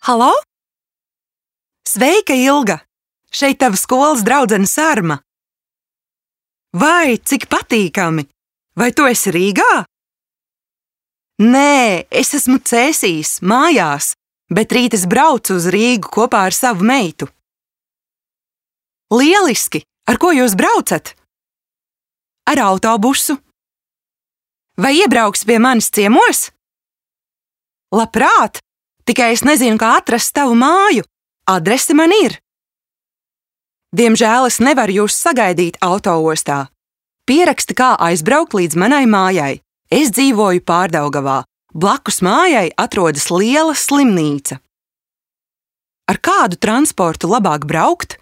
Halo? Sveika, Ilga! Šeit tava skolas draudzene Sarma. Vai, cik patīkami! Vai tu esi Rīgā? Nē, es esmu Cēsīs, mājās, bet rīt es braucu uz Rīgu kopā ar savu meitu. Lieliski! Ar ko jūs braucat? Ar autobusu. Vai iebrauks pie manis ciemos? Labprāt, tikai es nezinu, kā atrast tavu māju. Adrese man ir. Diemžēl es nevaru jūs sagaidīt autoostā. Pieraksti, kā aizbraukt līdz manai mājai. Es dzīvoju Pārdaugavā. Blakus mājai atrodas liela slimnīca. Ar kādu transportu labāk braukt?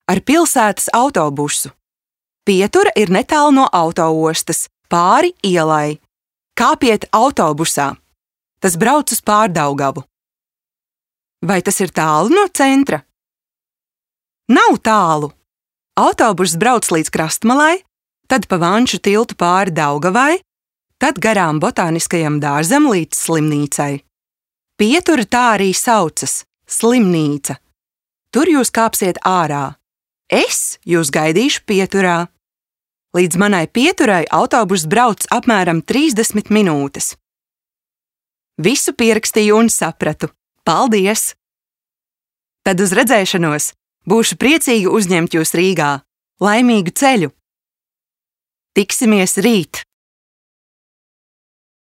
Ar pilsētas autobusu. Pietura ir netālu no autoostas, pāri ielai. Kāpiet autobusā. Tas brauc uz Pārdaugavu. Vai tas ir tālu no centra? Nav tālu. Autobuss brauc līdz Krastmalai, tad pa Vanšu tiltu pāri Daugavai, tad garām botāniskajam dārzam līdz slimnīcai. Pietura tā arī saucas – slimnīca. Tur jūs kāpsiet ārā. Es jūs gaidīšu Pieturā. Līdz manai Pieturai autobuss brauc apmēram 30 minūtes. Visu pierakstīju un sapratu. Paldies! Tad uz redzēšanos! Būšu priecīga uzņemt jūs Rīgā. Laimīgu ceļu! Tiksimies rīt!